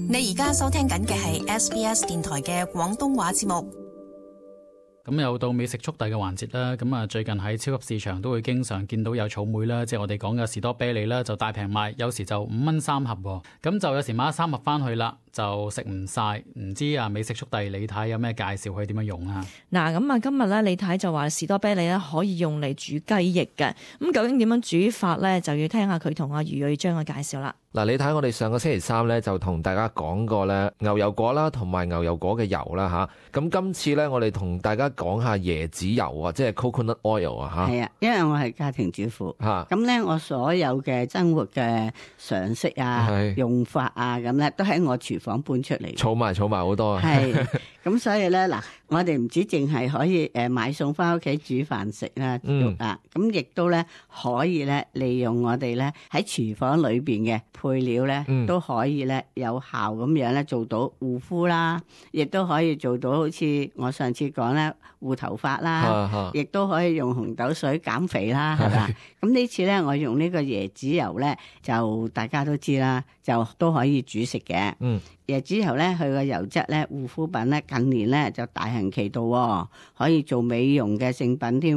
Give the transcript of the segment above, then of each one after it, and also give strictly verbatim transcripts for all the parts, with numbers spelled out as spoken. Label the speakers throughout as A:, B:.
A: 你而家收聽緊嘅係 S B S 電台嘅廣東話節目。
B: 咁又到美食速遞嘅環節啦。咁啊，最近喺超級市場都會經常見到有草莓啦，即係我哋講嘅士多啤梨啦，就大平賣，有時就五蚊三盒。咁就有時買咗三盒翻去啦，就食唔晒。唔知啊，美食速遞李太有咩介紹可以點樣用啊？
C: 嗱，咁啊，今日咧李太就話士多啤梨咧可以用嚟煮雞翼嘅。咁究竟點樣煮法咧，就要聽下佢同阿余瑞章嘅介紹啦。
D: 嗱，你睇我哋上個星期三咧就同大家講過咧牛油果啦，同埋牛油果嘅油啦吓。咁今次咧我哋同大家講下椰子油啊，即係 coconut oil 啊吓。
E: 係啊，因為我係家庭主婦
D: 吓，
E: 咁咧我所有嘅生活嘅常識啊、用法啊，咁咧都喺我廚房搬出嚟，
D: 儲埋儲埋好多啊。
E: 係，咁所以咧嗱，我哋唔止淨係可以誒買餸翻屋企煮飯食啦，嗯啊，咁亦都咧可以咧利用我哋咧喺廚房裏邊嘅配料咧，嗯、都可以咧有效咁樣咧做到護膚啦，亦都可以做到好似我上次講咧護頭髮啦，亦都可以用紅豆水減肥啦，係嘛？咁呢次咧我用呢個椰子油咧，就大家都知啦，就都可以煮食嘅。嗯，椰子油咧，佢個油質咧，護膚品咧，近年咧就大行其道，哦，可以做美容嘅聖品添。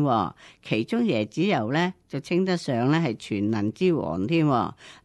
E: 其中椰子油咧就稱得上咧係全能之王添，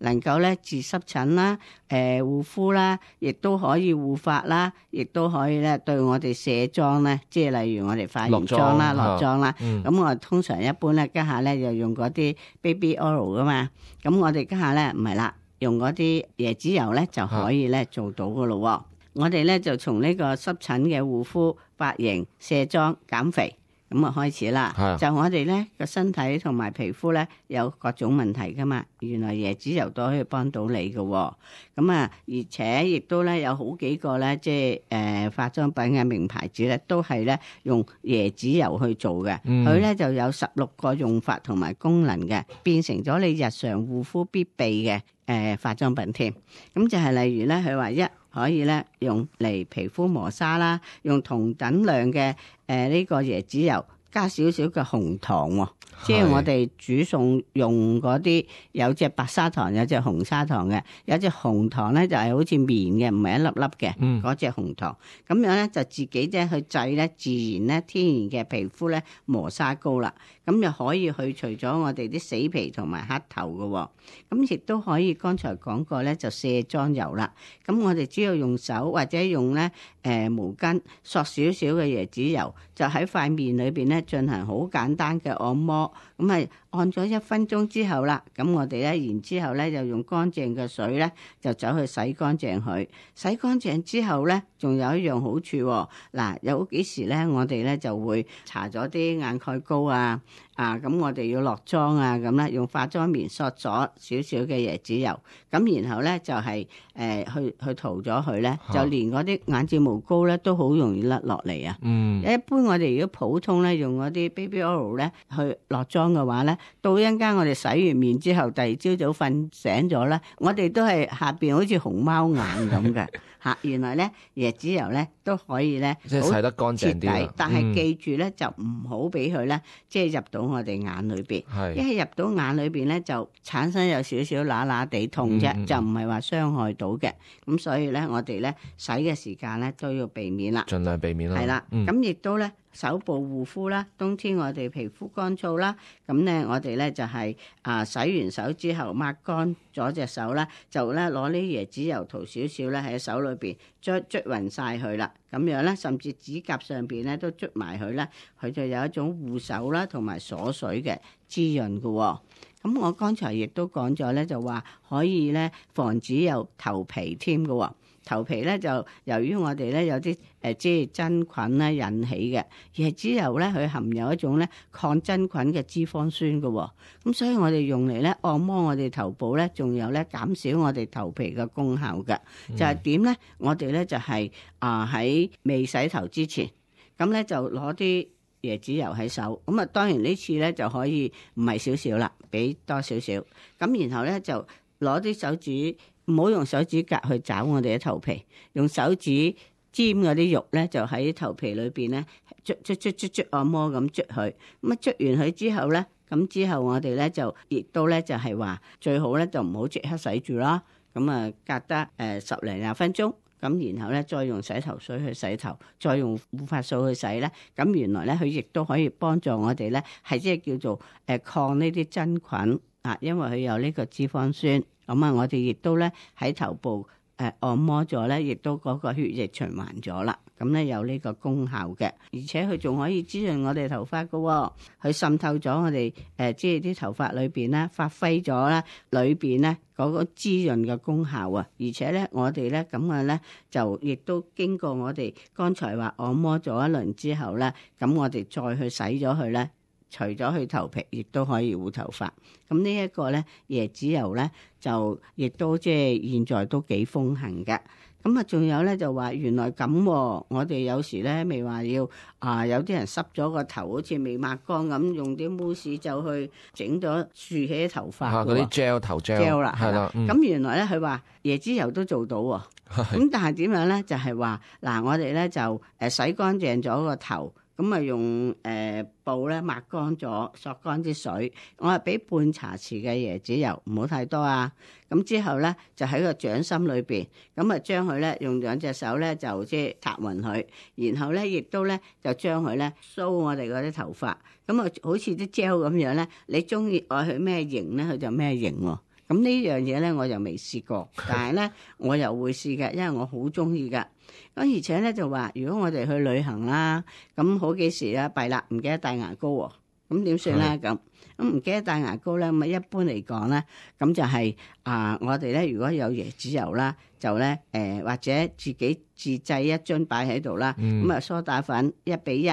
E: 能夠咧治濕疹啦、誒護膚啦，亦都可以護髮啦，亦都可以咧對我哋卸妝咧，即係例如我哋化完妝啦、落妝啦。咁、嗯、我通常一般咧家下咧就用嗰啲 baby oil 噶嘛，咁我哋家下咧唔係啦。用嗰啲椰子油咧就可以咧做到噶咯。啊、我哋咧就從呢個濕疹嘅護膚、髮型、卸妝、減肥咁啊開始啦。啊、就我哋咧個身體同埋皮膚咧有各種問題噶嘛，原來椰子油都可以幫到你噶。咁啊，而且亦都咧有好幾個咧，即係誒、呃、化妝品嘅名牌子咧，都係咧用椰子油去做嘅。佢咧、嗯、就有十六個用法同埋功能嘅，變成咗你日常護膚必備嘅。誒、呃、化妝品添，咁就係例如咧，佢話一可以咧用嚟皮膚磨砂啦，用同等量嘅誒呢個椰子油加少少嘅紅糖喎、哦，是即係我哋煮餸用嗰啲有隻白砂糖，有隻紅砂糖嘅，有隻紅糖咧就係、是、好似棉嘅，唔係一粒粒嘅嗰隻紅糖，咁樣咧就自己咧去製咧自然咧天然嘅皮膚咧磨砂膏啦。咁又可以去除咗我哋啲死皮同埋黑頭嘅、哦，咁亦都可以剛才講過咧就卸妝油啦。咁我哋只要用手或者用咧誒、呃、毛巾索少少嘅椰子油，就喺塊面裏邊咧進行好簡單嘅按摩。咁係按咗一分鐘之後啦，咁我哋咧然之後咧就用乾淨嘅水咧就走去洗乾淨佢。洗乾淨之後咧，仲有一樣好處喎、哦。嗱，有幾時咧我哋咧就會搽咗啲眼蓋膏啊。啊，咁我哋要落妝啊，咁咧用化妝棉索咗少少嘅椰子油，咁然後咧就係、是、誒、呃、去去塗咗佢咧，就連嗰啲眼睫毛膏咧都好容易甩落嚟啊。嗯，一般我哋如果普通咧用嗰啲 baby oil 咧去落妝嘅話咧，到一陣間我哋洗完面之後，第二朝早瞓醒咗咧，我哋都係下邊好似熊貓眼咁嘅嚇。原來咧椰子油咧都可以咧，
D: 即係洗得乾淨啲，
E: 但係記住咧、嗯、就唔好俾佢咧即係入到我哋眼裏邊，一係入到眼裏邊咧就產生有少少乸乸地痛啫，嗯嗯、就唔係話傷害到嘅。咁所以咧，我哋咧洗嘅時間咧都要避免啦，
D: 盡量避免啦。
E: 係啦，咁亦、嗯、都咧手部護膚啦，冬天我哋皮膚乾燥啦，咁咧我哋咧就係、是、啊洗完手之後抹乾咗隻手啦，就咧攞啲椰子油塗少少咧喺手裏邊捽捽勻晒佢啦，咁樣咧甚至指甲上邊咧都捽埋佢啦，佢就有一種護手啦同埋鎖水嘅滋潤嘅、哦。咁我剛才亦都講咗咧，就話可以咧防止有頭皮添嘅喎。頭皮咧就由於我哋咧有啲誒即係真菌咧引起嘅，椰子油咧佢含有一種咧抗真菌嘅脂肪酸嘅喎。咁所以我哋用嚟咧按摩我哋頭部咧，仲有咧減少我哋頭皮嘅功效嘅。就係點咧？我哋咧就係啊喺未洗頭之前，咁咧就攞啲椰子油喺手。咁啊當然呢次咧就可以唔係少少啦，俾多少少。咁然後咧就攞啲手指。唔好用手指甲去找我哋嘅頭皮，用手指尖嗰啲肉咧，就喺頭皮裏邊咧捽捽捽捽捽按摩咁捽佢。咁啊捽完佢之後咧，咁之後我哋咧就亦都咧就係話最好咧就唔好即刻洗住啦。咁啊隔得誒十零廿分鐘。咁然後咧，再用洗頭水去洗頭，再用護髮素去洗咧，咁原來咧佢亦都可以幫助我哋咧，係即係叫做誒抗呢啲真菌啊，因為佢有呢個脂肪酸。咁啊，我哋亦都咧喺頭部誒按摩咗咧，亦都嗰個血液循環咗啦。咁咧有呢個功效嘅，而且佢仲可以滋潤我哋頭髮噶、哦，佢滲透咗我哋誒即係啲頭髮裏邊咧，發揮咗咧裏邊咧嗰個滋潤嘅功效啊！而且咧我哋咧咁嘅咧就亦都經過我哋剛才話按摩咗一輪之後咧，咁我哋再去洗咗佢咧，除咗佢頭皮，亦都可以護頭髮。咁呢一個咧椰子油咧就亦都即係現在都幾風行嘅。咁啊，仲有咧就話原來咁、哦，我哋有時咧未話要啊，有啲人濕咗個頭，好似未抹乾咁，用啲慕斯就去整咗豎起啲頭髮。
D: 嚇、啊，嗰啲 gel 頭 gel
E: 啦，
D: 係啦。咁、
E: 嗯、原來咧佢話椰子油都做到喎、哦。咁但係點樣咧？就係話嗱，我哋咧就誒洗乾淨咗個頭。咁啊用誒、呃、布咧抹乾咗，索乾啲水，我係俾半茶匙嘅椰子油，唔好太多啊。咁之後咧就喺個掌心裏邊，咁啊將佢咧用兩隻手咧就即係擦勻佢，然後咧亦都咧就將佢咧梳我哋嗰啲頭髮，咁啊好似啲 gel 咁樣咧，你中意愛佢咩型咧，佢就咩型喎。咁呢樣嘢咧我就未試過，但係咧我又會試嘅，因為我好中意噶。咁而且咧就話，如果我哋去旅行啦，咁好幾時啦，弊啦，唔記得帶牙膏喎，咁點算咧？咁咁唔記得帶牙膏咧，咁啊一般嚟講咧，咁就係、是、啊，我哋咧如果有椰子油啦，就咧誒、呃、或者自己自製一樽擺喺度啦，咁啊、嗯、梳打粉一比一，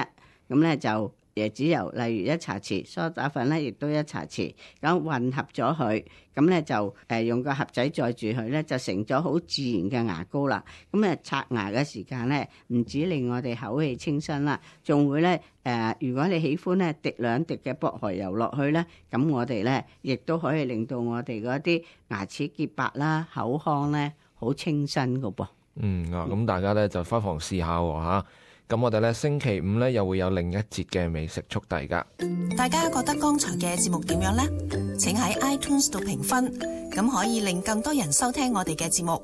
E: 咁咧就。椰子油，例如一茶匙，梳打粉咧亦都一茶匙，咁混合咗佢，咁咧就誒用個盒仔載住佢咧，就成咗好自然嘅牙膏啦。咁啊刷牙嘅時間咧，唔止令我哋口氣清新啦，仲會咧誒、呃，如果你喜歡咧滴兩滴嘅薄荷油落去咧，咁我哋咧亦都可以令到我哋嗰啲牙齒潔白啦，口腔咧好清新噶噃。
D: 嗯啊，咁大家咧就不妨試下喎嚇。咁我哋咧星期五咧又會有另一節嘅美食速遞噶。
A: 大家覺得剛才嘅節目點樣呢？請喺 iTunes 度評分，咁可以令更多人收聽我哋嘅節目。